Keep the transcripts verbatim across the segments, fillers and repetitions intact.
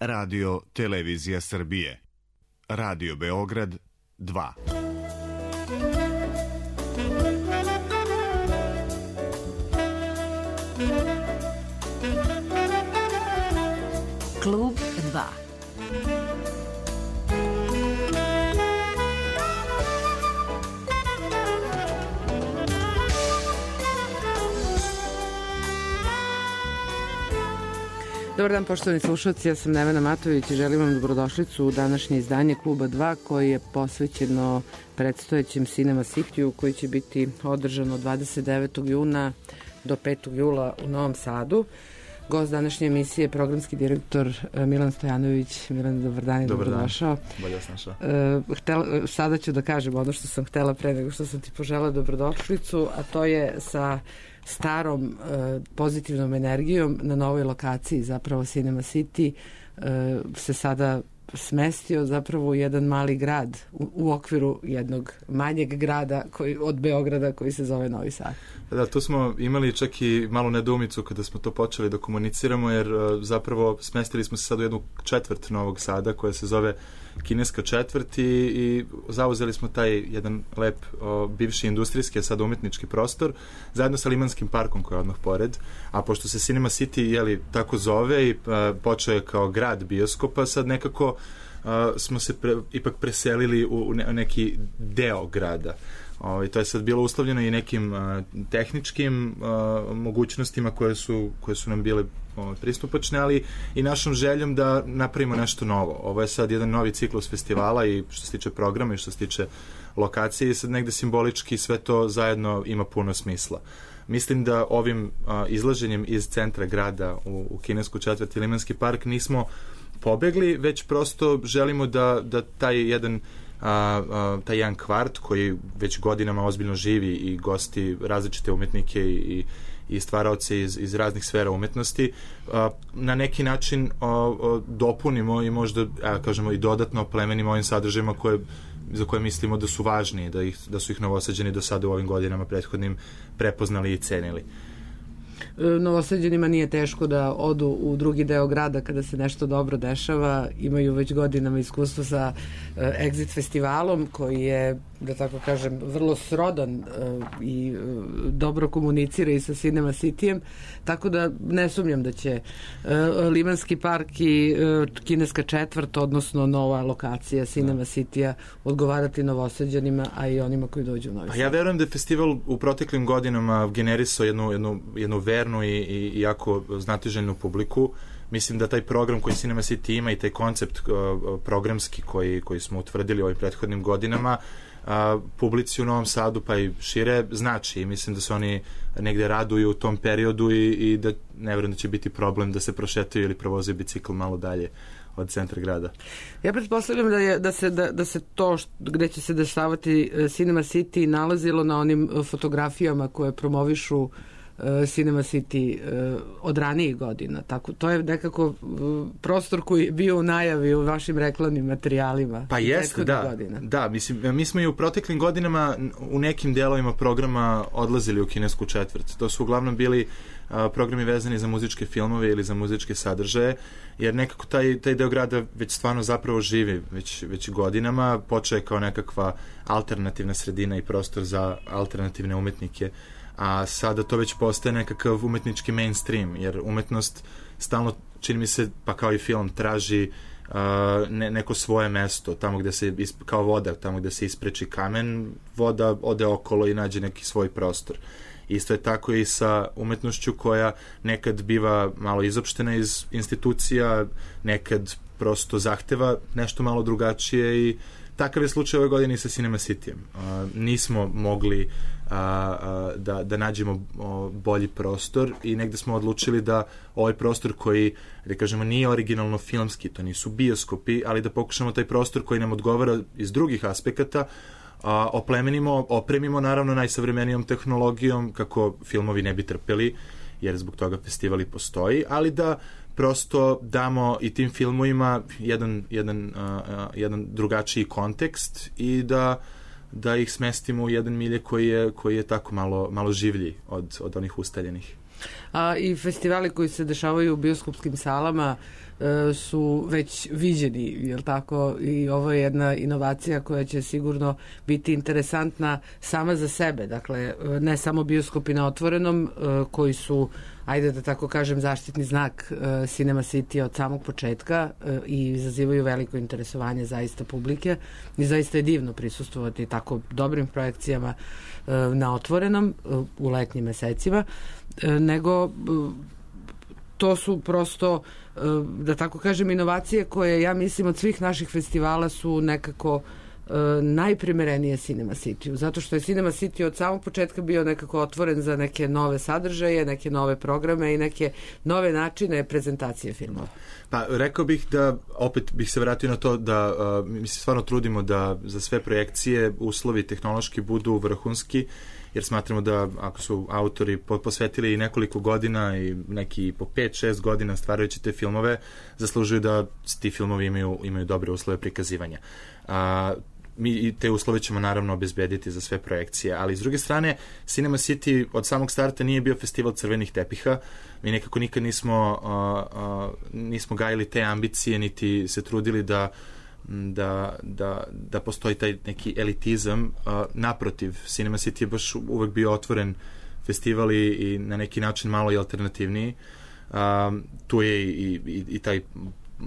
Radio Televizija Srbije. Radio Beograd dva. Klub dva. Dobar dan, poštovani slušalci, ja sam Nevena Matović i želim vam dobrodošlicu u današnje izdanje Kluba dva koje je posvećeno predstojećem Cinema City-u koji će biti održan od dvadeset devetog juna do petog jula u Novom Sadu. Gost današnje emisije je programski direktor Milan Stojanović. Milan, dobar dan i dobrodošao. Bolje vas našao. Htela, sada ću da kažem ono što sam htela pre nego što sam ti požela dobrodošlicu, a to je sa starom uh, pozitivnom energijom na novoj lokaciji, zapravo Cinema City uh, se sada smestio zapravo u jedan mali grad u, u okviru jednog manjeg grada koji, od Beograda koji se zove Novi Sad. Da, tu smo imali čak i malu nedoumicu kada smo to počeli da komuniciramo, jer uh, zapravo smestili smo se sad u jednu četvrt Novog Sada koja se zove Kineska četvrt i, i zauzeli smo taj jedan lep o, bivši industrijski, a sad umetnički prostor zajedno sa Limanskim parkom koji je odmah pored, a pošto se Cinema City jeli, tako zove i a, počeo je kao grad bioskopa, sad nekako a, smo se pre, ipak preselili u, u neki deo grada. O, i to je sad bilo uslovljeno i nekim a, tehničkim a, mogućnostima koje su, koje su nam bile o, pristupačne, ali i našom željom da napravimo nešto novo. Ovo je sad jedan novi ciklus festivala i što se tiče programa i što se tiče lokacije i sad negde simbolički sve to zajedno ima puno smisla. Mislim da ovim a, izlaženjem iz centra grada u, u Kinesku četvrt i Limanski park nismo pobegli, već prosto želimo da, da taj jedan A, a, taj jedan kvart koji već godinama ozbiljno živi i gosti različite umetnike i, i stvaraoce iz, iz raznih sfera umetnosti, a, na neki način a, a, dopunimo i možda, a, kažemo, i dodatno oplemenimo ovim sadržajima koje, za koje mislimo da su važni, da, ih, da su ih Novosađani do sada u ovim godinama prethodnim prepoznali i cenili. Novosađanima nije teško da odu u drugi deo grada kada se nešto dobro dešava. Imaju već godinama iskustvo sa uh, Exit festivalom koji je, da tako kažem, vrlo srodan uh, i uh, dobro komunicira i sa Cinema Cityjem, tako da ne sumnjam da će uh, Limanski park i uh, Kineska četvrt, odnosno nova lokacija Cinema Cityja odgovarati Novosađanima, a i onima koji dođu u Novi Sad. Pa ja verujem da je festival u proteklim godinama generisao jednu, jednu, jednu vernu i, i, i jako znatiželjnu publiku. Mislim da taj program koji Cinema City ima i taj koncept uh, programski koji, koji smo utvrdili u ovim prethodnim godinama uh, publici u Novom Sadu pa i šire znači i mislim da se oni negde raduju u tom periodu i, i da ne verujem da će biti problem da se prošetaju ili provoze bicikl malo dalje od centra grada. Ja pretpostavljam da, je, da, se, da, da se to što, gde će se dešavati Cinema City nalazilo na onim fotografijama koje promovišu Cinema City uh, od ranijih godina. Tako, to je nekako uh, prostor koji je bio u najavi u vašim reklamnim materijalima. Pa jeste, da. Godina. Da, mislim, mi smo i u proteklim godinama u nekim delovima programa odlazili u Kinesku četvrt. To su uglavnom bili uh, programi vezani za muzičke filmove ili za muzičke sadržaje, jer nekako taj, taj deo grada već stvarno zapravo živi već, već godinama. Počeo je kao nekakva alternativna sredina i prostor za alternativne umetnike, a sada to već postaje nekakav umetnički mainstream, jer umetnost stalno, čini mi se, pa kao i film, traži uh, ne, neko svoje mesto, tamo gde se, kao voda, tamo gde se ispreči kamen, voda ode okolo i nađe neki svoj prostor. Isto je tako i sa umetnošću koja nekad biva malo izopštena iz institucija, nekad prosto zahteva nešto malo drugačije i takav je slučaj ove godine i sa Cinema Cityjem. Uh, nismo mogli uh, uh, da, da nađemo uh, bolji prostor i negde smo odlučili da ovaj prostor koji, da kažemo, nije originalno filmski, to nisu bioskopi, ali da pokušamo taj prostor koji nam odgovara iz drugih aspekata a, oplemenimo, opremimo naravno najsavremenijom tehnologijom kako filmovi ne bi trpeli, jer zbog toga festival i postoji, ali da prosto damo i tim filmovima jedan, jedan, uh, jedan drugačiji kontekst i da, da ih smestimo u jedan milje koji je, koji je tako malo, malo življi od, od onih ustaljenih. A i festivali koji se dešavaju u bioskopskim salama su već viđeni, jel tako, i ovo je jedna inovacija koja će sigurno biti interesantna sama za sebe, dakle ne samo bioskopi na otvorenom koji su, ajde da tako kažem, zaštitni znak Cinema City od samog početka i izazivaju veliko interesovanje zaista publike i zaista je divno prisustvovati tako dobrim projekcijama na otvorenom u letnjim mesecima, nego to su prosto, da tako kažem, inovacije koje, ja mislim, od svih naših festivala su nekako najprimerenije Cinema City-u, zato što je Cinema City od samog početka bio nekako otvoren za neke nove sadržaje, neke nove programe i neke nove načine prezentacije filmova. Pa rekao bih da, opet bih se vratio na to da uh, mi se stvarno trudimo da za sve projekcije uslovi tehnološki budu vrhunski, jer smatramo da ako su autori posvetili i nekoliko godina i neki po pet šest godina stvarajući te filmove, zaslužuju da ti filmovi imaju, imaju dobre uslove prikazivanja. A, mi te uslove ćemo naravno obezbediti za sve projekcije, ali s druge strane Cinema City od samog starta nije bio festival crvenih tepiha, mi nekako nikad nismo, a, a, nismo gajili te ambicije, niti se trudili da Da, da, da postoji taj neki elitizam. Uh, naprotiv, Cinema City je baš uvek bio otvoren festival i, i na neki način malo i alternativniji. Uh, tu je i, i, i taj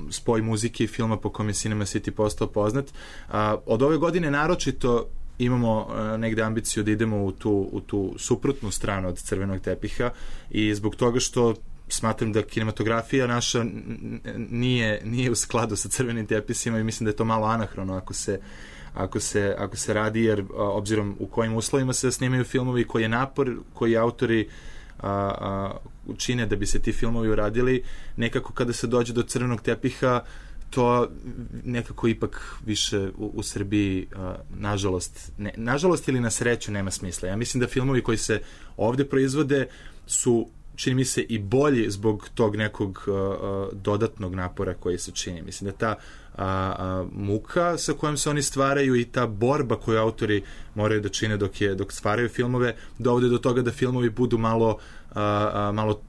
spoj muzike i filma po kom je Cinema City postao poznat. Uh, od ove godine naročito imamo uh, negde ambiciju da idemo u tu, u tu suprotnu stranu od crvenog tepiha i zbog toga što smatram da kinematografija naša nije, nije u skladu sa crvenim tepisima i mislim da je to malo anahrono ako se, ako se, ako se radi, jer a, obzirom u kojim uslovima se snimaju filmovi, koji je napor, koji autori a, a, učine da bi se ti filmovi uradili, nekako kada se dođe do crvenog tepiha to nekako ipak više u, u Srbiji a, nažalost, ne, nažalost ili na sreću nema smisla. Ja mislim da filmovi koji se ovde proizvode su, čini mi se, i bolji zbog tog nekog uh, dodatnog napora koji se čini. Mislim da ta uh, uh, muka sa kojom se oni stvaraju i ta borba koju autori moraju da čine dok, je, dok stvaraju filmove, dovode do toga da filmovi budu malo, uh, uh, malo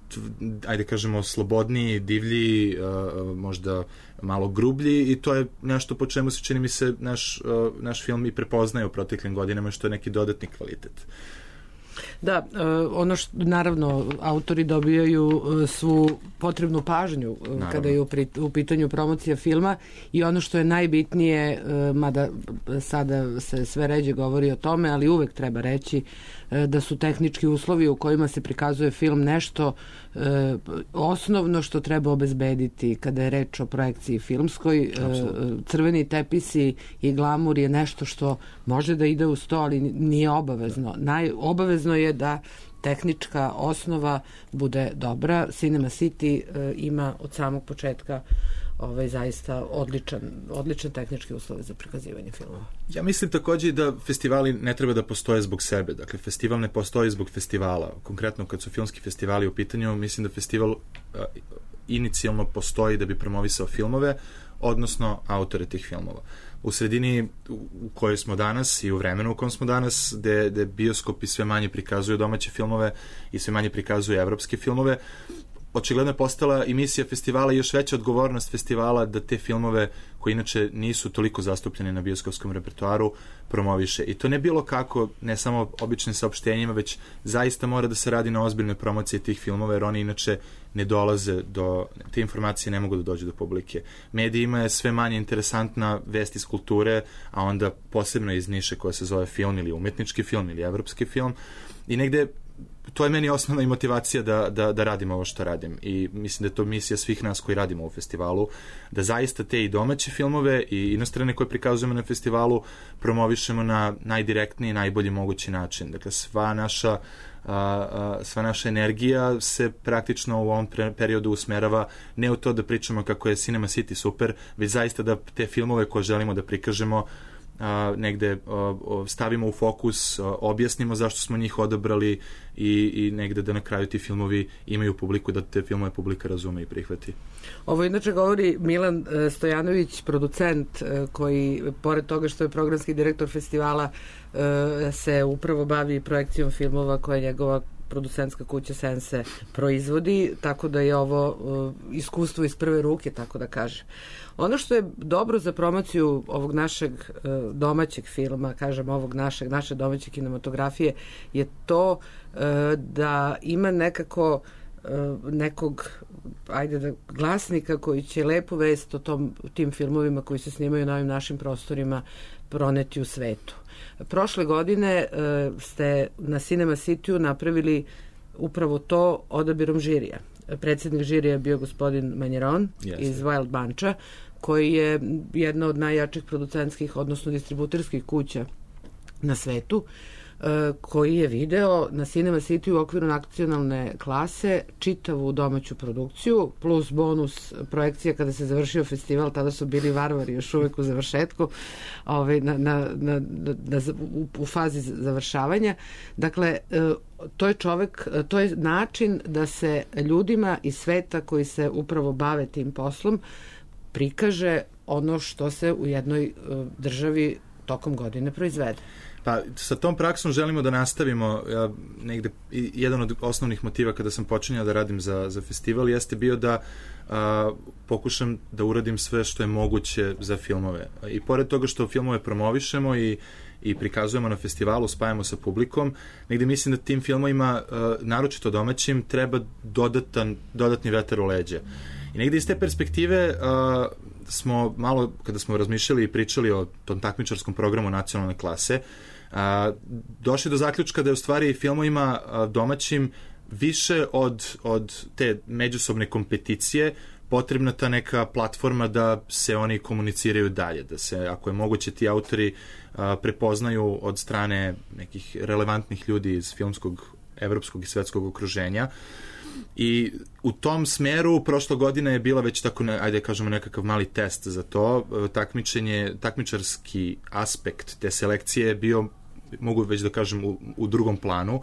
ajde kažemo, slobodniji, divlji, uh, možda malo grublji i to je nešto po čemu se, čini mi se, naš, uh, naš film i prepoznaje u proteklim godinama, što je neki dodatni kvalitet. Da, ono što, naravno, autori dobijaju svu potrebnu pažnju naravno, kada je u, u pitanju promocija filma i ono što je najbitnije, mada sada se sve ređe govori o tome, ali uvek treba reći da su tehnički uslovi u kojima se prikazuje film nešto e, osnovno što treba obezbediti kada je reč o projekciji filmskoj. E, crveni tepisi i glamur je nešto što može da ide u sto, ali nije obavezno. Naj, obavezno je da tehnička osnova bude dobra. Cinema City e, ima od samog početka ovaj zaista odličan, odličan tehnički uslov za prikazivanje filmova. Ja mislim takođe da festivali ne treba da postoje zbog sebe. Dakle, festival ne postoji zbog festivala. Konkretno, kad su filmski festivali u pitanju, mislim da festival uh, inicijalno postoji da bi promovisao filmove, odnosno autore tih filmova. U sredini u kojoj smo danas i u vremenu u kojem smo danas, gde, gde bioskopi sve manje prikazuju domaće filmove i sve manje prikazuju evropske filmove, očigledno je postala i misija festivala i još veća odgovornost festivala da te filmove koji inače nisu toliko zastupljeni na bioskopskom repertoaru promoviše. I to ne bilo kako, ne samo običnim saopštenjima, već zaista mora da se radi na ozbiljnoj promociji tih filmova, jer oni inače ne dolaze do, te informacije ne mogu da dođu do publike. Medijima je sve manje interesantna vest iz kulture, a onda posebno iz niše koja se zove film ili umetnički film ili evropski film. I negde to je meni osnovna i motivacija da, da, da radim ovo što radim i mislim da je to misija svih nas koji radimo u festivalu, da zaista te i domaće filmove i inostrane koje prikazujemo na festivalu promovišemo na najdirektniji i najbolji mogući način. Dakle, sva naša A, a, sva naša energija se praktično u ovom pre, periodu usmerava ne u to da pričamo kako je Cinema City super, već zaista da te filmove koje želimo da prikažemo a, negde a, stavimo u fokus, a, objasnimo zašto smo njih odabrali i, i negde da na kraju ti filmovi imaju publiku, da te filmove publika razume i prihvati. Ovo inače govori Milan Stojanović, producent koji, pored toga što je programski direktor festivala, se upravo bavi projekcijom filmova koja je njegova producentska kuća Sense proizvodi, tako da je ovo uh, iskustvo iz prve ruke, tako da kaže. Ono što je dobro za promociju ovog našeg uh, domaćeg filma, kažem ovog našeg, naše domaće kinematografije, je to uh, da ima nekako nekog, ajde da, glasnika koji će lepu vest o tom, tim filmovima koji se snimaju na ovim našim prostorima proneti u svetu. Prošle godine uh, ste na Cinema City-u napravili upravo to odabirom žirija. Predsjednik žirija je bio gospodin Manjeron yes. iz Wild Buncha, koji je jedna od najjačih producentskih, odnosno distributerskih kuća na svetu, koji je video na Cinema City u okviru nacionalne klase čitavu domaću produkciju, plus bonus projekcija kada se završio festival, tada su bili Varvari još uvek u završetku, ovaj, na, na, na, na, u, u fazi završavanja. Dakle, to je čovek, to je način da se ljudima iz sveta koji se upravo bave tim poslom prikaže ono što se u jednoj državi tokom godine proizvede. Pa sa tom praksom želimo da nastavimo. Ja, negde, jedan od osnovnih motiva kada sam počinjao da radim za, za festival jeste bio da a, pokušam da uradim sve što je moguće za filmove. I pored toga što filmove promovišemo i, i prikazujemo na festivalu, spajamo sa publikom, negde mislim da tim filmovima, a, naročito domaćim, treba dodatan, dodatni vetar u leđa. I negde iz te perspektive a, smo malo, kada smo razmišljali i pričali o tom takmičarskom programu nacionalne klase, a, došli do zaključka da je u stvari filmovima a, domaćim više od, od te međusobne kompeticije potrebna ta neka platforma da se oni komuniciraju dalje, da se, ako je moguće, ti autori a, prepoznaju od strane nekih relevantnih ljudi iz filmskog, evropskog i svetskog okruženja. I u tom smeru prošla godina je bila već tako, ajde kažemo, nekakav mali test za to. Takmičenje, takmičarski aspekt te selekcije je bio, mogu već da kažem, u, u drugom planu.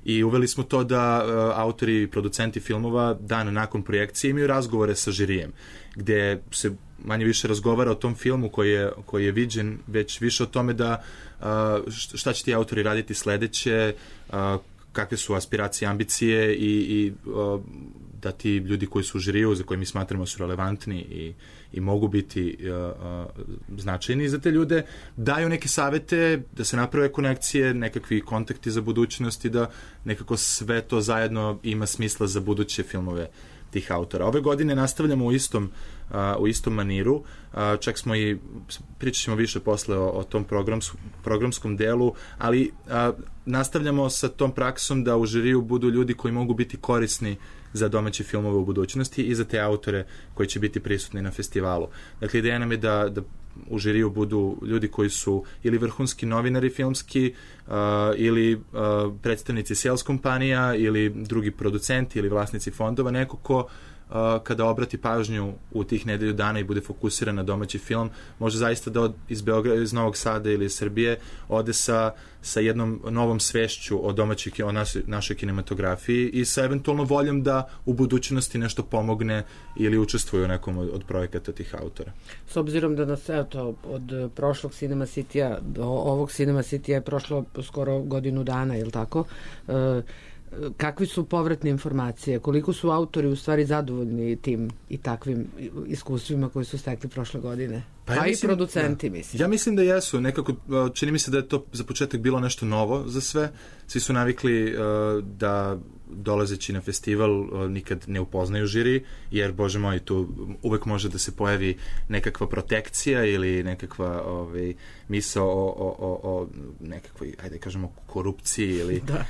I uveli smo to da uh, autori i producenti filmova dan nakon projekcije imaju razgovore sa žirijem, gde se manje više razgovara o tom filmu koji je, koji je viđen, već više o tome da uh, šta će ti autori raditi sledeće, uh, kakve su aspiracije, ambicije i, i uh, da ti ljudi koji su u žiriju, za koje mi smatramo su relevantni i, i mogu biti uh, uh, značajni za te ljude, daju neke savete, da se naprave konekcije, nekakvi kontakti za budućnost i da nekako sve to zajedno ima smisla za buduće filmove tih autora. Ove godine nastavljamo u istom, uh, u istom maniru, uh, čak smo i, pričat ćemo više posle o, o tom programs, programskom delu, ali uh, nastavljamo sa tom praksom da u žiriju budu ljudi koji mogu biti korisni za domaće filmove u budućnosti i za te autore koji će biti prisutni na festivalu. Dakle, ideja nam je da, da u žiriju budu ljudi koji su ili vrhunski novinari filmski, uh, ili uh, predstavnici sales kompanija, ili drugi producenti ili vlasnici fondova, neko ko uh, kada obrati pažnju u tih nedelju dana i bude fokusiran na domaći film, može zaista da od, iz Beograda, iz Novog Sada ili iz Srbije ode sa, sa jednom novom svešću o domaćoj, o našoj, našoj kinematografiji i sa eventualno voljom da u budućnosti nešto pomogne ili učestvuje u nekom od, od projekata tih autora. S obzirom da nas, eto, od prošlog Cinema City-a do ovog Cinema City-a je prošlo skoro godinu dana, je li tako? E, kakvi su povratne informacije? Koliko su autori u stvari zadovoljni tim i takvim iskustvima koji su stekli prošle godine? Pa, ja pa mislim, i producenti, da. mislim. Ja mislim da jesu. Nekako, čini mi se da je to za početak bilo nešto novo za sve. Svi su navikli uh, da dolazeći na festival uh, nikad ne upoznaju žiri, jer, bože moj, tu uvek može da se pojavi nekakva protekcija ili nekakva ovaj, misao o, o, o, o nekakvoj, ajde kažemo, korupciji ili... Da.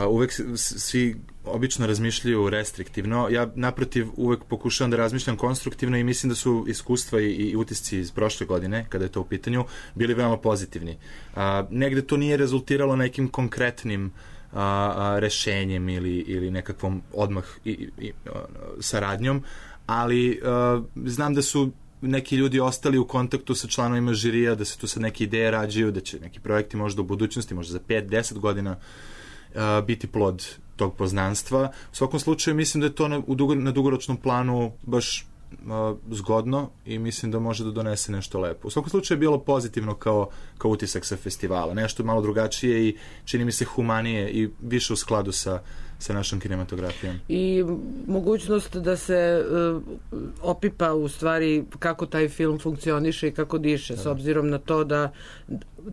Uh, uvek svi obično razmišljaju restriktivno. Ja, naprotiv, uvek pokušavam da razmišljam konstruktivno i mislim da su iskustva i, i utisci iz prošle godine, kada je to u pitanju, bili veoma pozitivni. Uh, negde to nije rezultiralo nekim konkretnim a, a, rešenjem ili, ili nekakvom odmah i, i, i, saradnjom, ali a, znam da su neki ljudi ostali u kontaktu sa članovima žirija, da se tu sad neke ideje rađaju, da će neki projekti možda u budućnosti, možda za pet do deset godina a, biti plod tog poznanstva. U svakom slučaju mislim da je to na, u dugo, na dugoročnom planu baš uh, zgodno i mislim da može da donese nešto lepo. U svakom slučaju je bilo pozitivno kao, kao utisak sa festivala. Nešto malo drugačije i čini mi se humanije i više u skladu sa, sa našom kinematografijom. I mogućnost da se uh, opipa u stvari kako taj film funkcioniše i kako diše, da. S obzirom na to da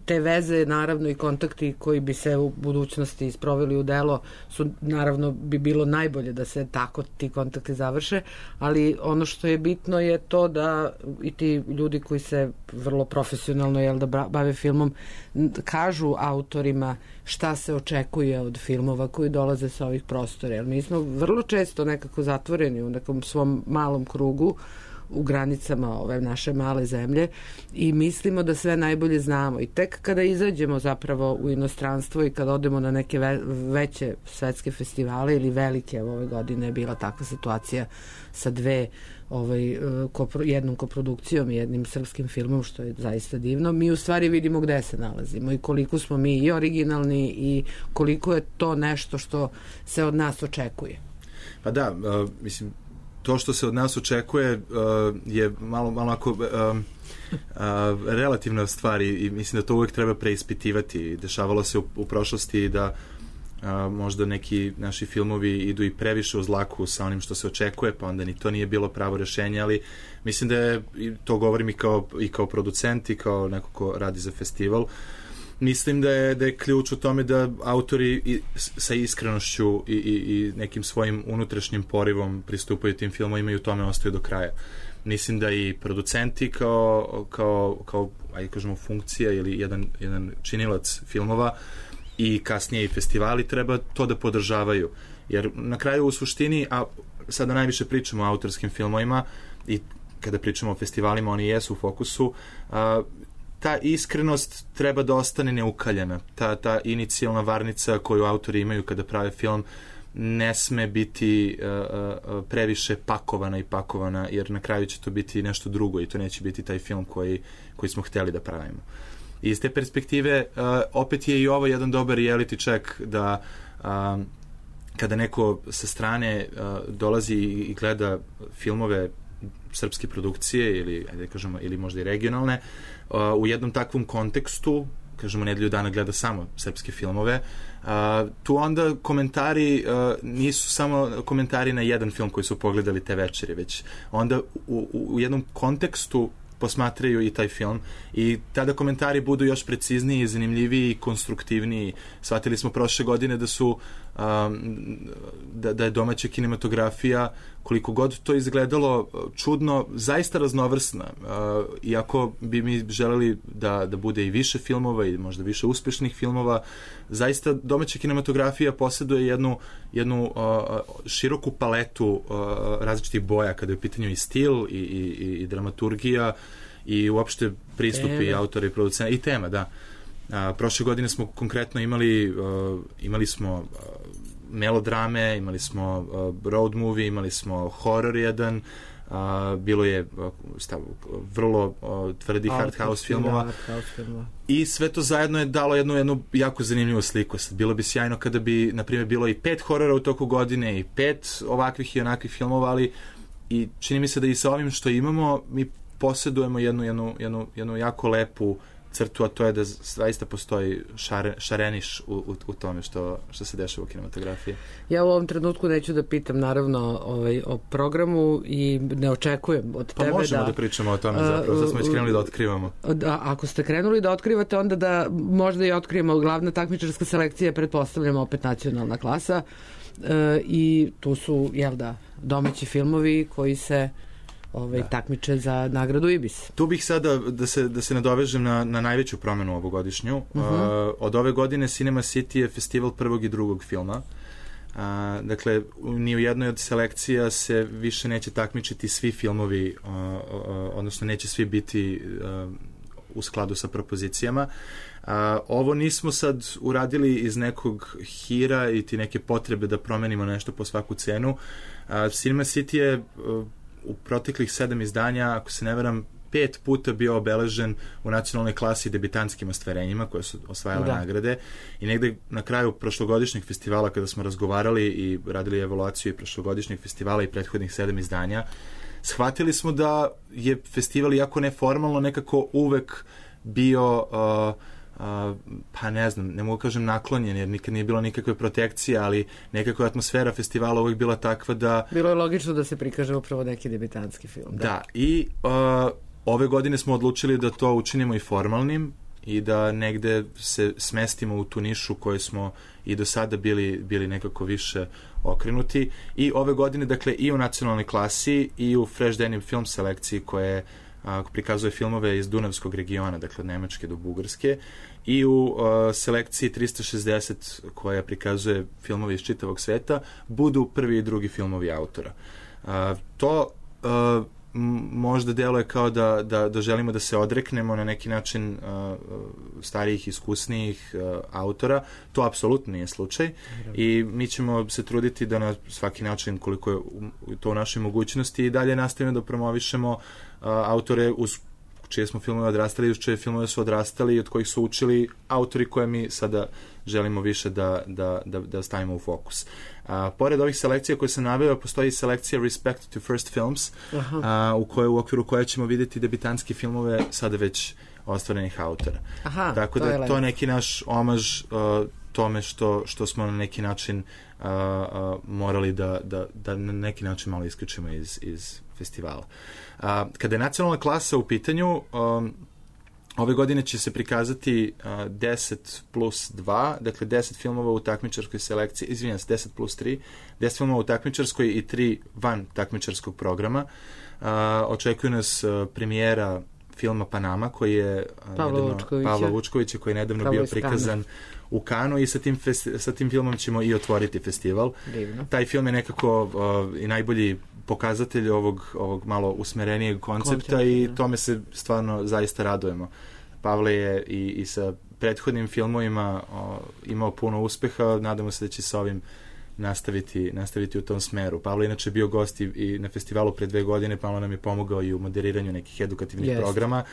te veze, naravno i kontakti koji bi se u budućnosti sproveli u delo su, naravno bi bilo najbolje da se tako ti kontakti završe, ali ono što je bitno je to da i ti ljudi koji se vrlo profesionalno jel, da bave filmom kažu autorima šta se očekuje od filmova koji dolaze sa ovih prostora. Jer mi smo vrlo često nekako zatvoreni u nekom svom malom krugu u granicama ove naše male zemlje i mislimo da sve najbolje znamo i tek kada izađemo zapravo u inostranstvo i kada odemo na neke ve veće svetske festivale ili velike, ove godine je bila takva situacija sa dve ovaj, kopro, jednom koprodukcijom i jednim srpskim filmom, što je zaista divno, mi u stvari vidimo gde se nalazimo i koliko smo mi i originalni i koliko je to nešto što se od nas očekuje. Pa da, uh, mislim, to što se od nas očekuje uh, je malo, malo ako, uh, uh, relativna stvar i, i mislim da to uvijek treba preispitivati. Dešavalo se u, u prošlosti da uh, možda neki naši filmovi idu i previše uz dlaku sa onim što se očekuje, pa onda ni to nije bilo pravo rešenje, ali mislim da je, to govorim i kao, i kao producent i kao neko ko radi za festival, mislim da je, da je ključ u tome da autori i, sa iskrenošću i, i, i nekim svojim unutrašnjim porivom pristupaju tim filmovima i u tome ostaju do kraja. Mislim da i producenti kao, kao, kao ajde kažemo, funkcija ili jedan, jedan činilac filmova i kasnije i festivali treba to da podržavaju. Jer na kraju u suštini, a sada najviše pričamo o autorskim filmovima i kada pričamo o festivalima, oni jesu u fokusu, a, ta iskrenost treba da ostane neukaljena. Ta, ta inicijalna varnica koju autori imaju kada prave film ne sme biti uh, uh, previše pakovana i pakovana, jer na kraju će to biti nešto drugo i to neće biti taj film koji, koji smo hteli da pravimo. I iz te perspektive uh, opet je i ovo jedan dobar reality check da uh, kada neko sa strane uh, dolazi i gleda filmove srpske produkcije ili, ajde kažemo, ili možda i regionalne, uh, u jednom takvom kontekstu, kažemo, nedelju dana gleda samo srpske filmove, uh, tu onda komentari uh, nisu samo komentari na jedan film koji su pogledali te večeri, već onda u, u, u jednom kontekstu posmatraju i taj film i tada komentari budu još precizniji, zanimljiviji i konstruktivniji. Shvatili smo prošle godine da su um, da, da je domaća kinematografija, koliko god to izgledalo čudno, zaista raznovrsna. Uh, iako bi mi želeli da, da bude i više filmova i možda više uspešnih filmova, zaista domaća kinematografija posjeduje jednu, jednu uh, široku paletu uh, različitih boja kada je u pitanju i stil i, i, i dramaturgija i uopšte pristupi autora i producenta i tema, da. A, prošle godine smo konkretno imali uh, imali smo uh, melodrame, imali smo uh, road movie, imali smo horror jedan, uh, bilo je uh, stav, vrlo uh, tvrdi hard house filmova. Hard house filmova i sve to zajedno je dalo jednu, jednu jako zanimljivu sliku. Sad, bilo bi sjajno kada bi, na primjer, bilo i pet horora u toku godine i pet ovakvih i onakvih filmova, ali i čini mi se da i sa ovim što imamo mi posjedujemo jednu, jednu, jednu, jednu jako lepu crtu, a to je da zaista postoji šare, šareniš u, u, u tome što, što se dešava u kinematografiji. Ja u ovom trenutku neću da pitam naravno ovaj, o programu i ne očekujem od pa tebe da... Pa možemo da pričamo o tome zapravo, da smo već krenuli da otkrivamo. Da, ako ste krenuli da otkrivate, onda da možda i otkrijemo glavna takmičarska selekcija, pretpostavljamo opet nacionalna klasa e, i tu su, jel da, domaći filmovi koji se ovaj, da. takmiče za nagradu Ibis. Tu bih sada da se, da se nadovežem na, na najveću promenu ovogodišnju. Uh-huh. Uh, od ove godine Cinema City je festival prvog i drugog filma. Uh, dakle, ni u jednoj od selekcija se više neće takmičiti svi filmovi, uh, uh, odnosno neće svi biti uh, u skladu sa propozicijama. Uh, ovo nismo sad uradili iz nekog hira i ti neke potrebe da promenimo nešto po svaku cenu. Uh, Cinema City je uh, u proteklih sedam izdanja, ako se ne veram, pet puta bio obeležen u nacionalnoj klasi debitantskim ostvarenjima koje su osvajale da. nagrade i negde na kraju prošlogodišnjeg festivala kada smo razgovarali i radili evaluaciju i prošlogodišnjeg festivala i prethodnih sedam izdanja, shvatili smo da je festival, iako neformalno, nekako uvek bio uh, uh, pa ne znam, ne mogu kažem naklonjen, jer nikad nije bilo nikakve protekcije, ali nekako je atmosfera festivala uvek bila takva da... Bilo je logično da se prikaže upravo neki debitanski film. Da, da i uh, ove godine smo odlučili da to učinimo i formalnim i da negde se smestimo u tu nišu koju smo i do sada bili, bili nekako više okrenuti. I ove godine, dakle, i u nacionalnoj klasi i u Fresh Denim film selekciji koje a, prikazuje filmove iz Dunavskog regiona, dakle od Nemačke do Bugarske, i u a, selekciji trista šezdeset koja prikazuje filmove iz čitavog sveta, budu prvi i drugi filmovi autora. A, to a, možda deluje kao da, da, da želimo da se odreknemo na neki način uh, starijih, iskusnijih uh, autora. To apsolutno nije slučaj i mi ćemo se truditi da na svaki način, koliko je to u našoj mogućnosti, i dalje nastavimo da promovišemo uh, autore uz čije smo filmove odrastali, uz čije filmove su odrastali i od kojih su učili autori koje mi sada želimo više da, da, da, da stavimo u fokus. A, pored ovih selekcija koje sam naveo, postoji selekcija Respect to First Films, a, u, kojoj, u okviru koje ćemo vidjeti debitanske filmove sada već ostvarenih autora. Aha, tako to da je je to neki naš omaž uh, tome što, što smo na neki način uh, uh, morali da, da, da na neki način malo isključimo iz, iz festivala. Uh, kada je nacionalna klasa u pitanju, um, ove godine će se prikazati uh, deset plus dva, dakle deset filmova u takmičarskoj selekciji, izvinjam se, deset plus tri, deset filmova u takmičarskoj i tri van takmičarskog programa. Uh, očekuje nas uh, premijera filma Panama, koji je Pavla Vučkovića, Pavla Vučkovića koji je nedavno Pavla bio prikazan u Kanu, i sa tim, festi, sa tim filmom ćemo i otvoriti festival. Divno. Taj film je nekako uh, i najbolji pokazatelj ovog, ovog malo usmerenijeg koncepta Koncept, i tome se stvarno zaista radujemo. Pavle je i, i sa prethodnim filmovima o, imao puno uspeha, nadamo se da će sa ovim nastaviti, nastaviti u tom smeru. Pavle inače bio gost i, i na festivalu pre dve godine, Pavle nam je pomogao i u moderiranju nekih edukativnih yes. programa,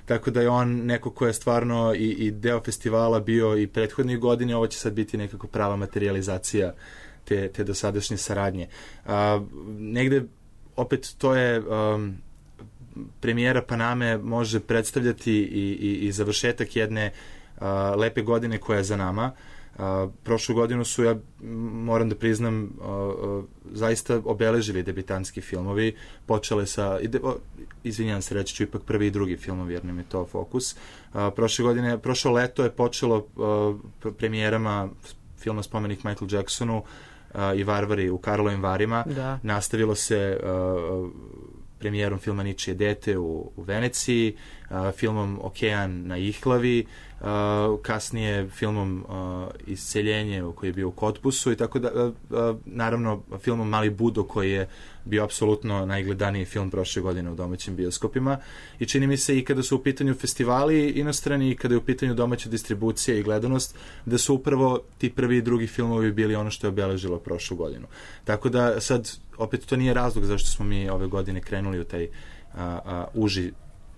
tako da je on neko ko je stvarno i, i deo festivala bio i prethodnih godine, ovo će sad biti nekako prava materializacija te, te dosadašnje saradnje. A, negde, opet, to je um, premijera Paname može predstavljati i, i, i završetak jedne a, lepe godine koja je za nama. A, prošlu godinu su, ja moram da priznam, a, a, zaista obeležili debitanski filmovi, počele sa, ide, o, izvinjam se, reći ću ipak prvi i drugi filmovi jer nam je to fokus. A, prošle godine, prošlo leto je počelo a, premijerama filma Spomenik Michael Jacksonu a, i Varvari u Karlovim Varima. Da. Nastavilo se a, premijerom filma Ničije dete u, u Veneciji, a, filmom Okean na Ihlavi, a, kasnije filmom a, Isceljenje koji je bio u Kotbusu, i tako da, a, a, naravno filmom Mali Budo koji je bio apsolutno najgledaniji film prošle godine u domaćim bioskopima, i čini mi se i kada su u pitanju festivali inostrani i kada je u pitanju domaća distribucija i gledanost, da su upravo ti prvi i drugi filmovi bili ono što je obeležilo prošlu godinu. Tako da sad, opet, to nije razlog zašto smo mi ove godine krenuli u taj a, a, uži,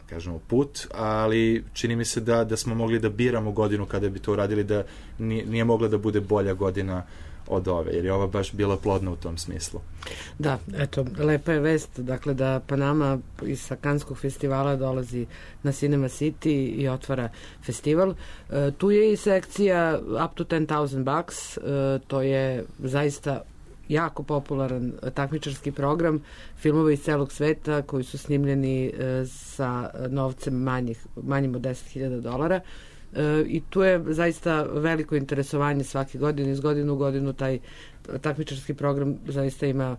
kažemo, put, ali čini mi se da, da smo mogli da biramo godinu kada bi to uradili, da nije, nije mogla da bude bolja godina od ove, jer je ova baš bila plodna u tom smislu. Da, eto, lepa je vest, dakle, da Panama iz Kanskog festivala dolazi na Cinema City i otvara festival. E, tu je i sekcija Up to ten thousand bucks, e, to je zaista jako popularan takmičarski program, filmova iz celog sveta koji su snimljeni e, sa novcem manjih, manjim od deset hiljada dolara. E, i tu je zaista veliko interesovanje svake godine, iz godinu u godinu taj takmičarski program zaista ima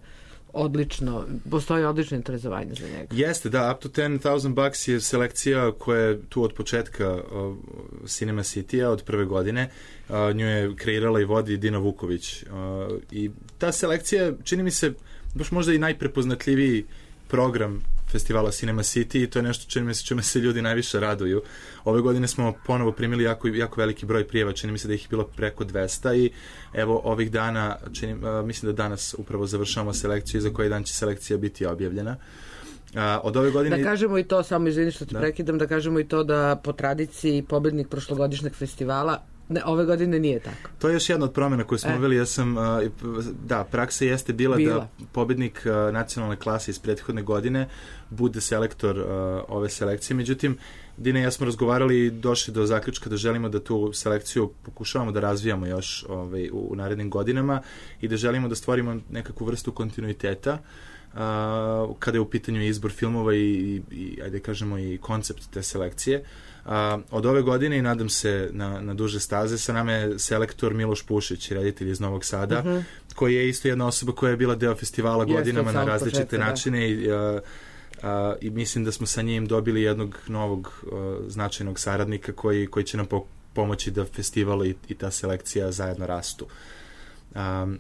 odlično, postoji odlično interesovanje za njega. Jeste, da, Up to ten thousand bucks je selekcija koja je tu od početka uh, Cinema City-a, od prve godine. Uh, nju je kreirala i vodi Dina Vuković. Uh, I ta selekcija, čini mi se, baš možda i najprepoznatljiviji program festivala Cinema City, i to je nešto čini mi se čime se ljudi najviše raduju. Ove godine smo ponovo primili jako, jako veliki broj prijava, čini mi se da ih je bilo preko dvesta, i evo ovih dana, čini, uh, mislim da danas upravo završavamo selekciju i za koji dan će selekcija biti objavljena. Uh, od ove godine... Da kažemo i to, samo izvini što te da. prekidam, da kažemo i to da po tradiciji pobednik prošlogodišnjeg festivala Ne, ove godine nije tako. To je još jedna od promjena koju smo uveli. E. Ja sam, da, praksa jeste bila, bila. da pobednik nacionalne klase iz prethodne godine bude selektor ove selekcije. Međutim, Dina i ja smo razgovarali i došli do zaključka da želimo da tu selekciju pokušavamo da razvijamo još ovaj, u, u narednim godinama i da želimo da stvorimo nekakvu vrstu kontinuiteta Uh, kada je u pitanju izbor filmova i, i, i ajde kažemo i koncept te selekcije. Uh, od ove godine i nadam se na, na duže staze sa nama je selektor Miloš Pušić, reditelj iz Novog Sada, uh-huh. koji je isto jedna osoba koja je bila deo festivala godinama na različite početka, načine da. i uh, Uh, i mislim da smo sa njim dobili jednog novog uh, značajnog saradnika koji, koji će nam po, pomoći da festival i, i ta selekcija zajedno rastu. Um,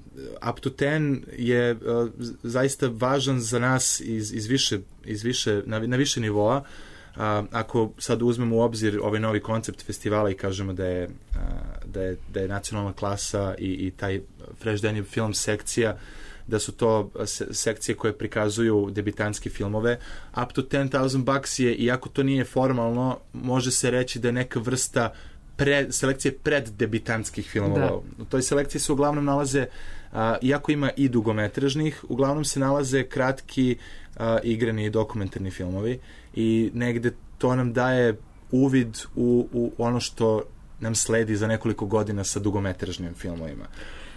Up to ten je uh, zaista važan za nas iz, iz više, iz više, na, na više nivoa. Uh, ako sad uzmemo u obzir ovaj novi koncept festivala i kažemo da je, uh, da je, da je nacionalna klasa i, i taj Fresh Daniel film sekcija, da su to sekcije koje prikazuju debitanske filmove. Up to ten thousand bucks je, iako to nije formalno, može se reći da je neka vrsta pre, selekcije pred debitanskih filmova. Da. U toj selekciji se uglavnom nalaze, a, iako ima i dugometražnih, uglavnom se nalaze kratki a, igrani i dokumentarni filmovi i negde to nam daje uvid u, u ono što nam sledi za nekoliko godina sa dugometražnim filmovima.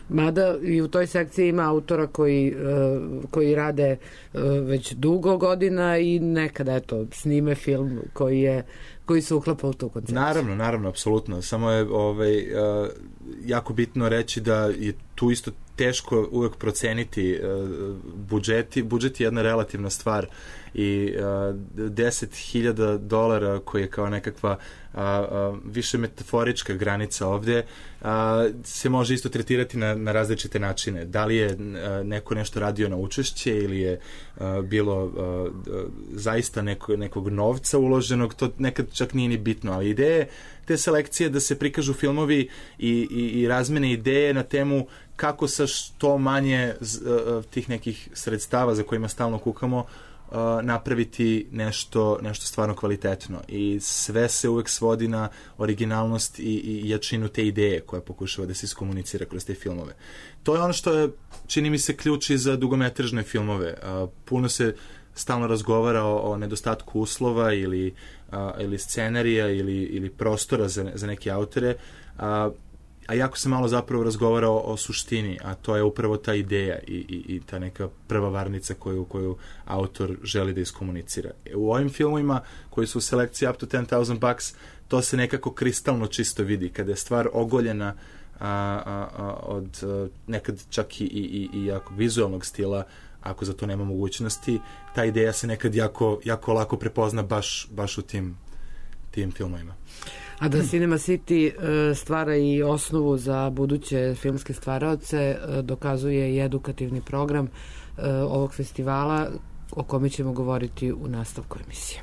Mada i u toj sekciji ima autora koji, uh, koji rade uh, već dugo godina i nekada eto, snime film koji, je, koji se uklapa u tu koncepciju. Naravno, naravno, apsolutno. Samo je ovaj, uh, jako bitno reći da je tu isto teško uvek proceniti uh, budžeti. Budžet je jedna relativna stvar i uh, deset hiljada dolara koji je kao nekakva uh, uh, više metaforička granica ovdje uh, se može isto tretirati na, na različite načine. Da li je uh, neko nešto radio na učešće ili je uh, bilo uh, zaista neko, nekog novca uloženog, to nekad čak nije ni bitno, ali ideje te selekcije da se prikažu filmovi i, i, i razmene ideje na temu kako sa što manje uh, tih nekih sredstava za kojima stalno kukamo Uh, napraviti nešto, nešto stvarno kvalitetno i sve se uvek svodi na originalnost i, i jačinu te ideje koja pokušava da se iskomunicira kroz te filmove. To je ono što je, čini mi se, ključ i za dugometražne filmove. Uh, puno se stalno razgovara o, o nedostatku uslova ili, uh, ili scenarija ili, ili prostora za, za neke autore, uh, a jako se malo zapravo razgovara o, o suštini, a to je upravo ta ideja i, i, i ta neka prva varnica koju, koju autor želi da iskomunicira. U ovim filmovima koji su u selekciji Up to ten thousand bucks, to se nekako kristalno čisto vidi, kada je stvar ogoljena a, a, a, od a, nekad čak i, i, i jako vizualnog stila, ako za to nema mogućnosti, ta ideja se nekad jako, jako lako prepozna baš, baš u tim, tim filmovima. A da Cinema City stvara i osnovu za buduće filmske stvaraoce dokazuje i edukativni program ovog festivala o kome ćemo govoriti u nastavku emisije.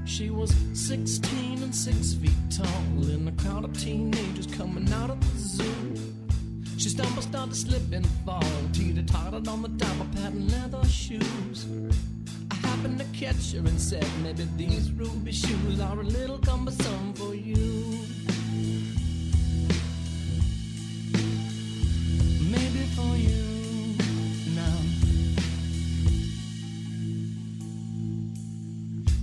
She was sixteen and six feet tall in a crowd of teenagers coming out of the zoo. She stumbled, started to slip and fall, teeter-tottered on the top of patent leather shoes. I happened to catch her and said, maybe these ruby shoes are a little cumbersome for you. Maybe for you now,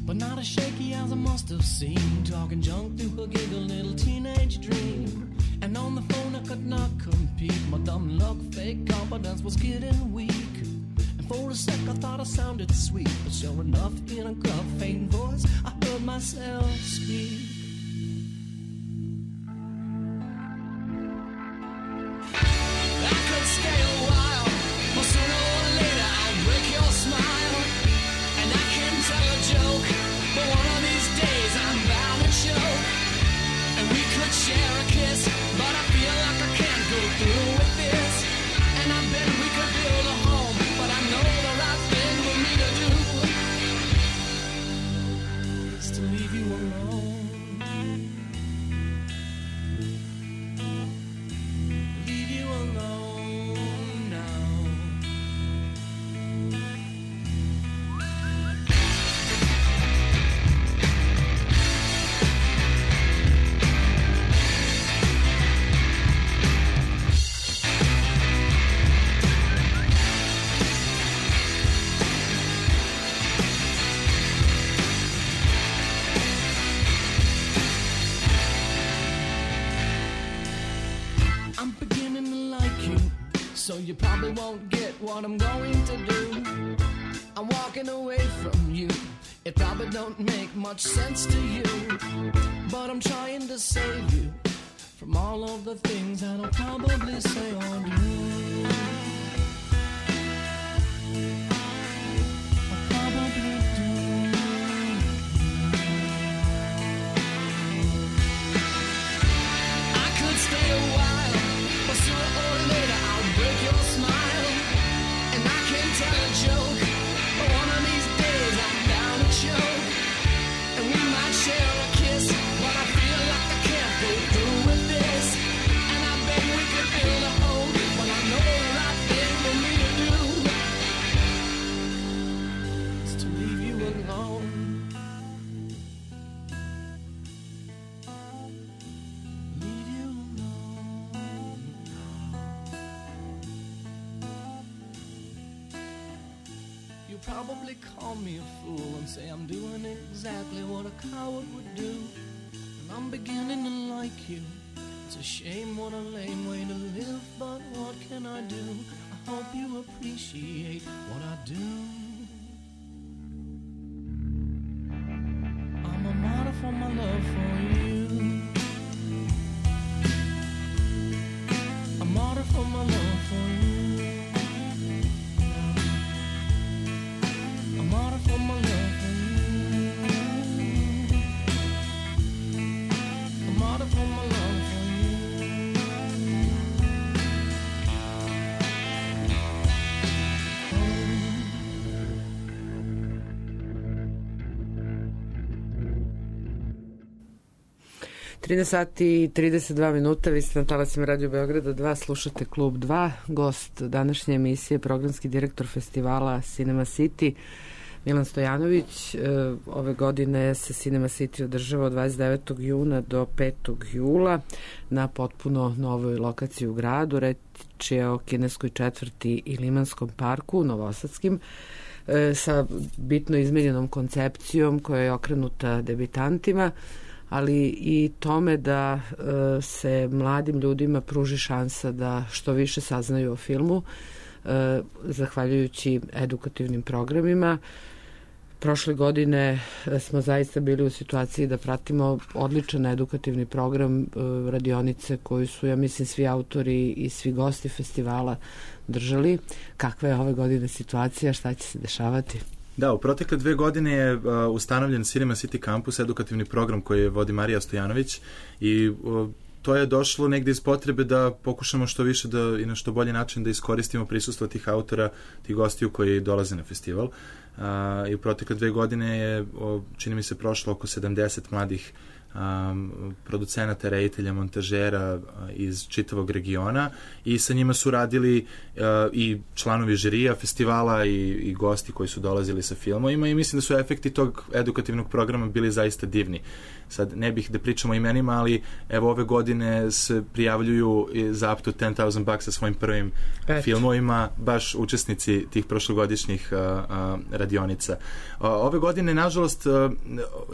but not as shaky as I must have seen, talking junk through her giggle little teenage dream. And on the phone I could not compete, my dumb luck, fake confidence was getting weak. And for a sec I thought I sounded sweet, but sure enough in a gruff, faint voice I heard myself speak. I could stay a while, but sooner or later I'll break your smile. And I can tell a joke, but one of these days I'm bound to choke. And we could share a kiss, but I feel like I can't go through with this. And I bet we I'm beginning to like you, so you probably won't get what I'm going to do. I'm walking away from you. It probably don't make much sense to you, but I'm trying to save you from all of the things that I'll probably say or do. I'll probably do. I could stay a while, but sooner or later I'll break your smile. And I can tell a joke, but one of these days I'm down to choke. And we might share a kiss, but I feel like I can't go through with this. And I bet we could build a home, but I know the right thing for me to do is to leave you alone. Leave you alone. You probably call me a fool and say I'm doing exactly what a coward would do. And I'm beginning to like you. It's a shame, what a lame way to live, but what can I do? I hope you appreciate what I do. I'm a martyr for my love for you. A martyr for my love for you. A martyr for my love for you. A martyr for my love for you. trinaest sati i trideset dva minuta, vi ste na talasima Radio Beograda dva, slušate Klub dva. Gost današnje emisije, programski direktor festivala Cinema City, Milan Stojanović. Ove godine se Cinema City održava od dvadeset devetog juna do petog jula na potpuno novoj lokaciji u gradu. Reč je o kineskoj četvrti i Limanskom parku, novosadskim, sa bitno izmenjenom koncepcijom koja je okrenuta debitantima, ali i tome da e, se mladim ljudima pruži šansa da što više saznaju o filmu, e, zahvaljujući edukativnim programima. Prošle godine smo zaista bili u situaciji da pratimo odličan edukativni program, e, radionice koju su, ja mislim, svi autori i svi gosti festivala držali. Kakva je ove godine situacija, šta će se dešavati? Da, u protekle dve godine je uh, ustanovljen Cinema City Campus, edukativni program koji vodi Marija Stojanović, i uh, to je došlo negde iz potrebe da pokušamo što više da, i na što bolji način da iskoristimo prisustvo tih autora, tih gostiju koji dolaze na festival. Uh, I u protekle dve godine je, uh, čini mi se, prošlo oko sedamdeset mladih Um, producenata, reditelja, montažera uh, iz čitavog regiona, i sa njima su radili uh, i članovi žirija festivala i, i gosti koji su dolazili sa filmovima, i mislim da su efekti tog edukativnog programa bili zaista divni. Sad ne bih da pričamo o imenima, ali evo ove godine se prijavljuju za up to ten thousand bucks sa svojim prvim Pet. filmovima baš učesnici tih prošlogodišnjih uh, uh, radionica. Uh, ove godine, nažalost, uh,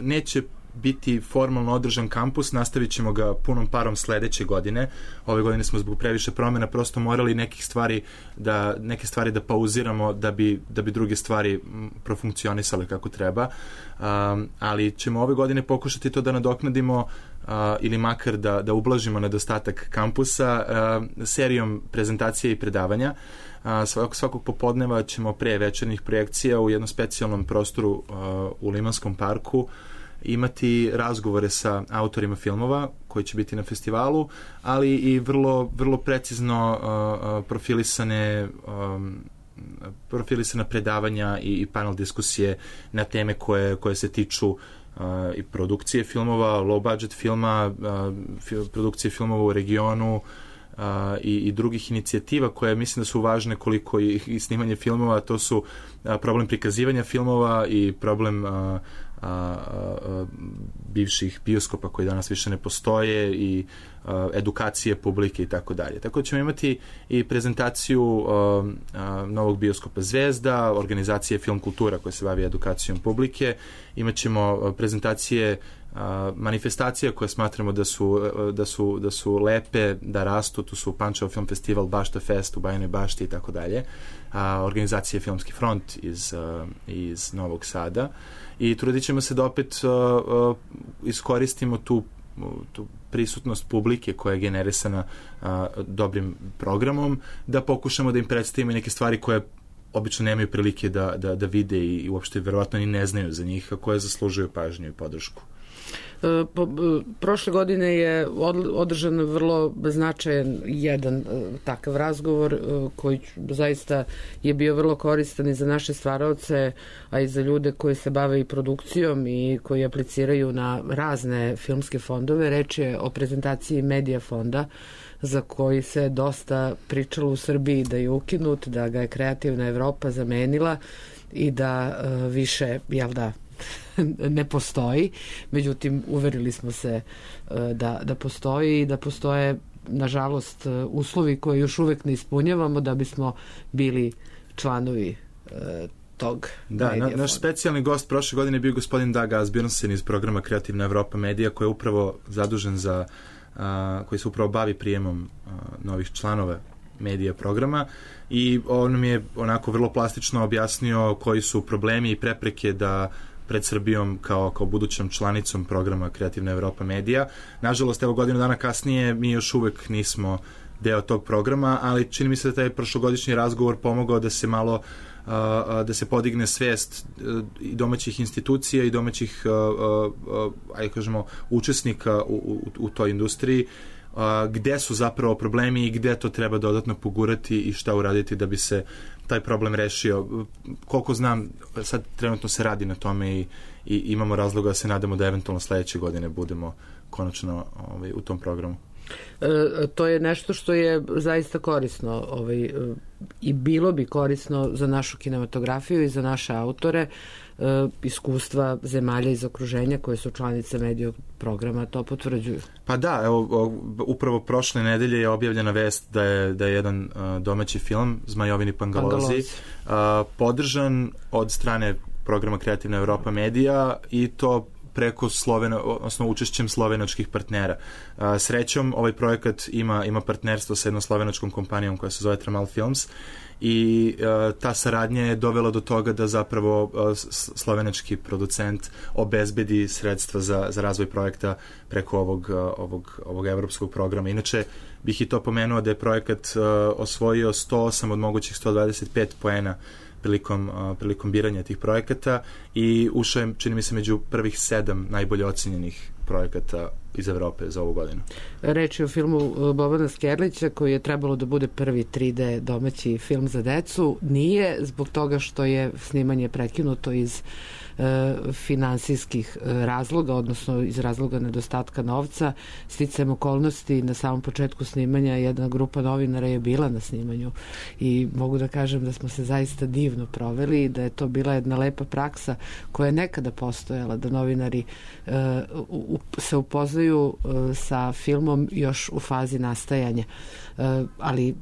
neće biti formalno održan kampus, nastavit ćemo ga punom parom sledeće godine. Ove godine smo zbog previše promjena prosto morali nekih stvari da, neke stvari da pauziramo da bi, da bi druge stvari profunkcionisale kako treba. Um, ali ćemo ove godine pokušati to da nadoknadimo uh, ili makar da, da ublažimo nedostatak kampusa uh, serijom prezentacija i predavanja. Uh, svakog, svakog popodneva ćemo pre večernjih projekcija u jednom specijalnom prostoru uh, u Limanskom parku imati razgovore sa autorima filmova koji će biti na festivalu, ali i vrlo, vrlo precizno uh, profilisane um, profilisana predavanja i, i panel diskusije na teme koje, koje se tiču uh, i produkcije filmova, low budget filma, uh, fil, produkcije filmova u regionu, uh, i, i drugih inicijativa koje mislim da su važne koliko i, i snimanje filmova. To su uh, problem prikazivanja filmova i problem uh, a, a, bivših bioskopa koji danas više ne postoje i a, edukacije publike i tako dalje. Tako da ćemo imati i prezentaciju a, a, novog bioskopa Zvezda, organizacije Film kultura koja se bavi edukacijom publike, imat ćemo prezentacije a, manifestacija koje smatramo da su, da su, da su lepe, da rastu, tu su Pančevo film festival, Bašta Fest u Bajinoj Bašti i tako dalje, organizacije Filmski front iz, a, iz Novog Sada i trudit ćemo se da opet a, a, iskoristimo tu, tu prisutnost publike koja je generisana a, dobrim programom, da pokušamo da im predstavimo neke stvari koje obično nemaju prilike da, da, da vide i, i uopšte verovatno ni ne znaju za njih, a koje zaslužuju pažnju i podršku. E, po, prošle godine je održan vrlo značajan jedan e, takav razgovor e, koji zaista je bio vrlo koristan i za naše stvaraoce, a i za ljude koji se bave i produkcijom i koji apliciraju na razne filmske fondove. Reč je o prezentaciji Medija fonda, za koji se dosta pričalo u Srbiji da je ukinut, da ga je Kreativna Evropa zamenila i da e, više, jel da, ne postoji. Međutim, uverili smo se e, da, da postoji i da postoje, nažalost, uslovi koje još uvek ne ispunjavamo da bismo bili članovi e, tog da, Medija na, naš specijalni gost prošle godine je bio gospodin Dag Asbjørnsen iz programa Kreativna Evropa Medija, koji je upravo zadužen za a, koji se upravo bavi prijemom a, novih članova medija programa i on nam je onako vrlo plastično objasnio koji su problemi i prepreke da pred Srbijom kao, kao budućom članicom programa Kreativna Evropa Medija. Nažalost, evo godinu dana kasnije mi još uvek nismo deo tog programa, ali čini mi se da taj prošlogodišnji razgovor pomogao da se malo uh, da se podigne svest uh, i domaćih institucija i domaćih uh, uh, ajde kažemo učesnika u, u, u toj industriji, uh, gde su zapravo problemi i gde to treba dodatno pogurati i šta uraditi da bi se taj problem rešio. Koliko znam, sad trenutno se radi na tome i, i imamo razloga da se nadamo da eventualno sledeće godine budemo konačno ovaj, u tom programu. E, to je nešto što je zaista korisno ovaj, i bilo bi korisno za našu kinematografiju i za naše autore. E, iskustva zemalja iz okruženja koje su članice Medija programa to potvrđuju. Pa da, evo, upravo prošle nedelje je objavljena vest da je, da je jedan uh, domaći film Zmajovini Pangalozi, Pangalozi. Uh, podržan od strane programa Kreativna Evropa Medija i to preko Slovena, odnosno učešćem slovenačkih partnera. A, srećom, ovaj projekat ima, ima partnerstvo sa jednom slovenačkom kompanijom koja se zove Tramal Films i a, ta saradnja je dovela do toga da zapravo a, slovenački producent obezbedi sredstva za, za razvoj projekta preko ovog, a, ovog, ovog evropskog programa. Inače, bih i to pomenuo da je projekat a, osvojio sto osam od mogućih sto dvadeset pet poena prilikom, uh, prilikom biranja tih projekata i ušao je, čini mi se, među prvih sedam najbolje ocenjenih projekata iz Evrope za ovu godinu. Reč je o filmu Bobana Skerlića koji je trebalo da bude prvi tri D domaći film za decu. Nije, zbog toga što je snimanje prekinuto iz e, finansijskih razloga, odnosno iz razloga nedostatka novca. Sticajem okolnosti na samom početku snimanja jedna grupa novinara je bila na snimanju i mogu da kažem da smo se zaista divno proveli i da je to bila jedna lepa praksa koja je nekada postojala, da novinari e, u, se upoznaju sa filmom još u fazi nastajanja. Ali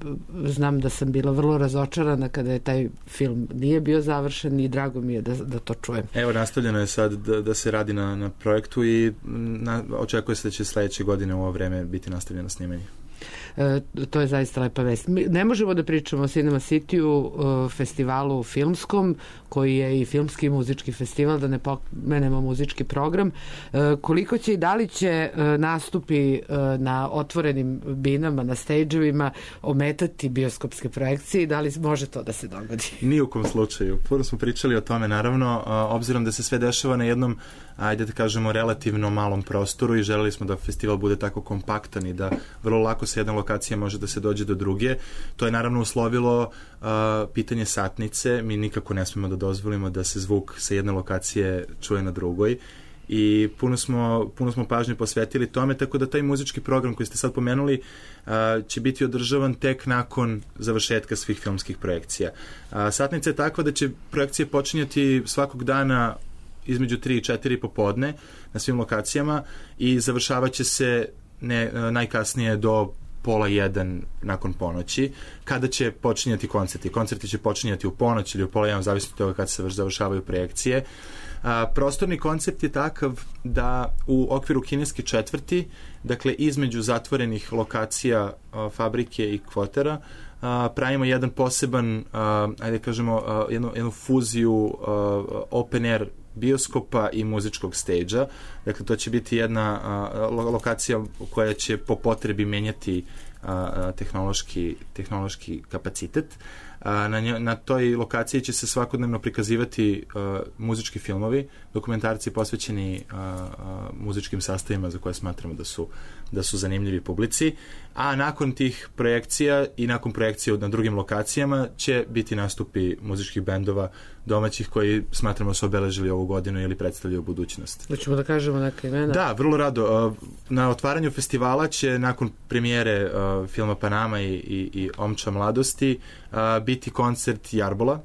znam da sam bila vrlo razočarana kada je taj film nije bio završen i drago mi je da, da to čujem. Evo, nastavljeno je sad da, da se radi na, na projektu i na, očekuje se da će sledeće godine u ovo vreme biti nastavljeno snimanje. E, to je zaista lepa vest. Mi ne možemo da pričamo o Cinema City-u, e, festivalu filmskom, koji je i filmski i muzički festival, da ne pomenemo muzički program. E, koliko će i da li će e, nastupi e, na otvorenim binama, na stage-evima ometati bioskopske projekcije i da li može to da se dogodi? Ni u kom slučaju. Puno smo pričali o tome, naravno, a, obzirom da se sve dešava na jednom, ajde da kažemo, relativno malom prostoru i želeli smo da festival bude tako kompaktan i da vrlo lako sa jedne lokacije može da se dođe do druge. To je naravno uslovilo uh, pitanje satnice. Mi nikako ne smemo da dozvolimo da se zvuk sa jedne lokacije čuje na drugoj i puno smo, puno smo pažnje posvetili tome, tako da taj muzički program koji ste sad pomenuli uh, će biti održavan tek nakon završetka svih filmskih projekcija. Uh, satnica je takva da će projekcije počinjati svakog dana između tri i četiri popodne na svim lokacijama i završavat će se ne, najkasnije do pola jedan nakon ponoći, kada će počinjati koncerti. Koncerti će počinjati u ponoć ili u pola jedan, zavisno od toga kada se završavaju projekcije. A, prostorni koncept je takav da u okviru kineske četvrti, dakle između zatvorenih lokacija a, fabrike i kvotera, a, pravimo jedan poseban, a, ajde kažemo, a, jednu, jednu fuziju a, open air bioskopa i muzičkog stage-a. Dakle, to će biti jedna a, lokacija koja će po potrebi menjati a, tehnološki, tehnološki kapacitet. A, na, njo, na toj lokaciji će se svakodnevno prikazivati a, muzički filmovi, dokumentarci posvećeni a, a, muzičkim sastavima za koje smatramo da su, da su zanimljivi publici, a nakon tih projekcija i nakon projekcija na drugim lokacijama će biti nastupi muzičkih bendova domaćih koji smatramo su obeležili ovu godinu ili predstavljaju budućnost. Hoćemo da kažemo neka imena? Da, vrlo rado. Na otvaranju festivala će nakon premijere uh, filma Panama i, i, i Omča mladosti uh, biti koncert Jarbola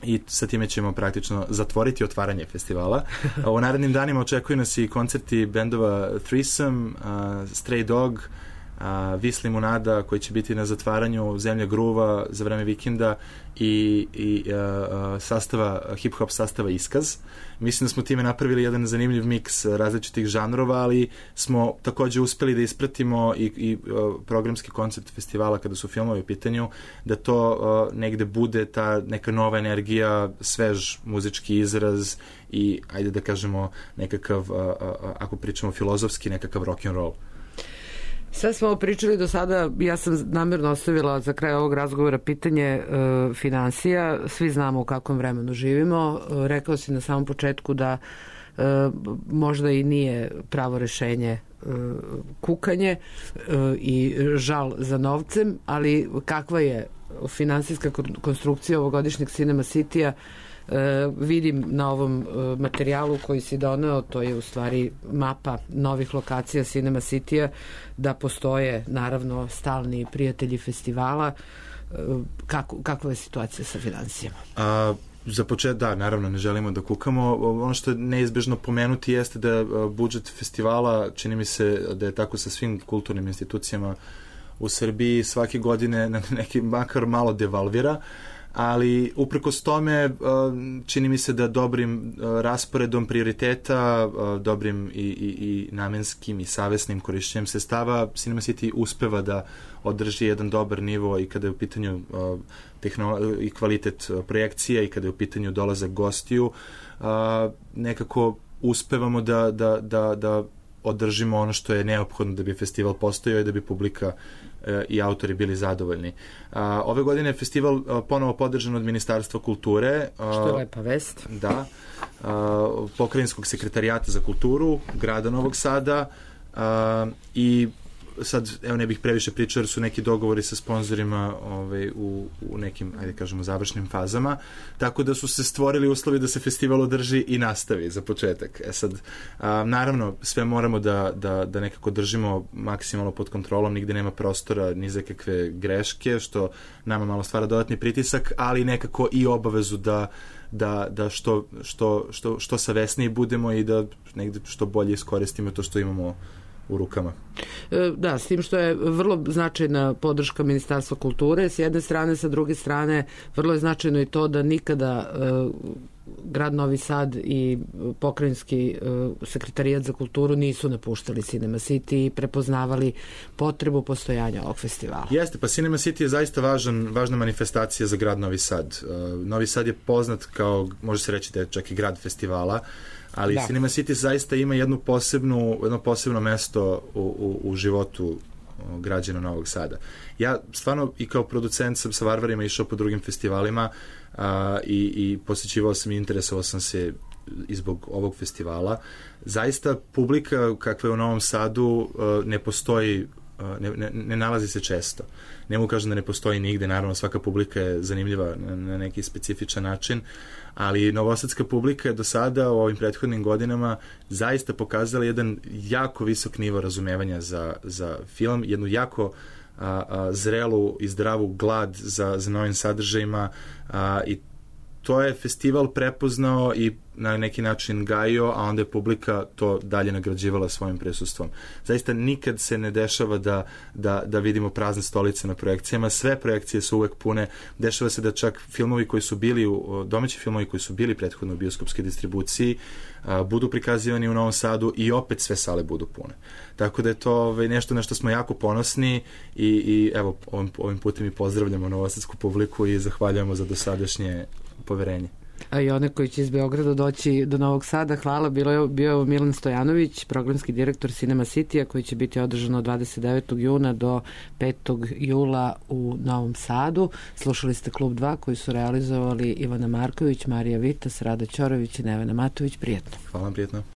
i sa time ćemo praktično zatvoriti otvaranje festivala. U narednim danima očekuju nas i koncerti bendova Threesome, uh, Stray Dog, Uh, Vis Limunada koji će biti na zatvaranju, Zemlja gruva za vreme vikenda i, i uh, sastava, hip-hop sastava Iskaz. Mislim da smo time napravili jedan zanimljiv miks različitih žanrova, ali smo takođe uspeli da ispratimo i, i uh, programski koncept festivala kada su filmovi u pitanju, da to uh, negde bude ta neka nova energija, svež muzički izraz i, ajde da kažemo, nekakav, uh, uh, ako pričamo filozofski, nekakav rock and roll. Sve smo pričali do sada, ja sam namjerno ostavila za kraj ovog razgovora pitanje e, finansija. Svi znamo u kakvom vremenu živimo. E, rekao si na samom početku da e, možda i nije pravo rešenje e, kukanje e, i žal za novcem, ali kakva je finansijska konstrukcija ovogodišnjeg Cinema City-a? E, vidim na ovom e, materijalu koji si doneo, to je u stvari mapa novih lokacija Cinema City-a, da postoje naravno stalni prijatelji festivala. E, kako, kakva je situacija sa finansijama? A, za počet, da, naravno ne želimo da kukamo. Ono što je neizbežno pomenuti jeste da budžet festivala, čini mi se da je tako sa svim kulturnim institucijama u Srbiji, svake godine na neki makar malo devalvira, ali uprkos tome čini mi se da dobrim rasporedom prioriteta, dobrim i, i, i namenskim i savesnim korišćenjem sredstava Cinema City uspeva da održi jedan dobar nivo i kada je u pitanju tehnolo- i kvalitet projekcija i kada je u pitanju dolazak gostiju, nekako uspevamo da, da, da, da održimo ono što je neophodno da bi festival postojao i da bi publika e, i autori bili zadovoljni. A, ove godine je festival a, ponovo podržan od Ministarstva kulture. A, što je lepa vest. Da. A, Pokrajinskog sekretarijata za kulturu, grada Novog Sada a, i sad, evo ne bih previše pričao jer su neki dogovori sa sponzorima ovaj, u, u nekim, ajde kažemo, završnim fazama, tako da su se stvorili uslovi da se festival održi i nastavi za početak. E sad, a, naravno, sve moramo da, da, da nekako držimo maksimalno pod kontrolom, nigde nema prostora ni za kakve greške, što nama malo stvara dodatni pritisak, ali nekako i obavezu da da, da što, što, što, što savesniji budemo i da negde što bolje iskoristimo to što imamo u rukama. Da, s tim što je vrlo značajna podrška Ministarstva kulture s jedne strane, sa druge strane vrlo je značajno i to da nikada uh, grad Novi Sad i pokrajinski uh, sekretarijat za kulturu nisu napuštali Cinema City i prepoznavali potrebu postojanja ovog festivala. Jeste, pa Cinema City je zaista važan, važna manifestacija za grad Novi Sad. Uh, Novi Sad je poznat kao, može se reći da je čak i grad festivala, ali da. Cinema City zaista ima jednu posebnu, jedno posebno mesto u, u, u životu građana Novog Sada. Ja stvarno i kao producent sam sa Varvarima išao po drugim festivalima a, i, i posjećivao sam i interesovao sam se i zbog ovog festivala. Zaista publika kakva je u Novom Sadu a, ne postoji, a, ne, ne, ne nalazi se često. Ne mogu kažem da ne postoji nigde, naravno svaka publika je zanimljiva na, na neki specifičan način, ali novosadska publika je do sada u ovim prethodnim godinama zaista pokazala jedan jako visok nivo razumevanja za, za film, jednu jako a, a, zrelu i zdravu glad za, za novim sadržajima a, i to je festival prepoznao i na neki način gajio, a onda je publika to dalje nagrađivala svojim prisustvom. Zaista nikad se ne dešava da, da, da vidimo prazne stolice na projekcijama, sve projekcije su uvek pune, dešava se da čak filmovi koji su bili, u, domaći filmovi koji su bili prethodno u bioskopskoj distribuciji, a, budu prikazivani u Novom Sadu i opet sve sale budu pune. Tako da je to ovaj, nešto na što smo jako ponosni i, i evo, ovim, ovim putem i pozdravljamo novosadsku publiku i zahvaljujemo za dosadašnje poverenje. A i one koji će iz Beograda doći do Novog Sada, hvala, bilo je, bio je Milan Stojanović, programski direktor Cinema City-a, koji će biti održano od dvadeset devetog juna do petog jula u Novom Sadu. Slušali ste Klub dva koji su realizovali Ivana Marković, Marija Vitas, Rada Ćorović i Nevena Matović. Prijetno. Hvala vam, prijetno.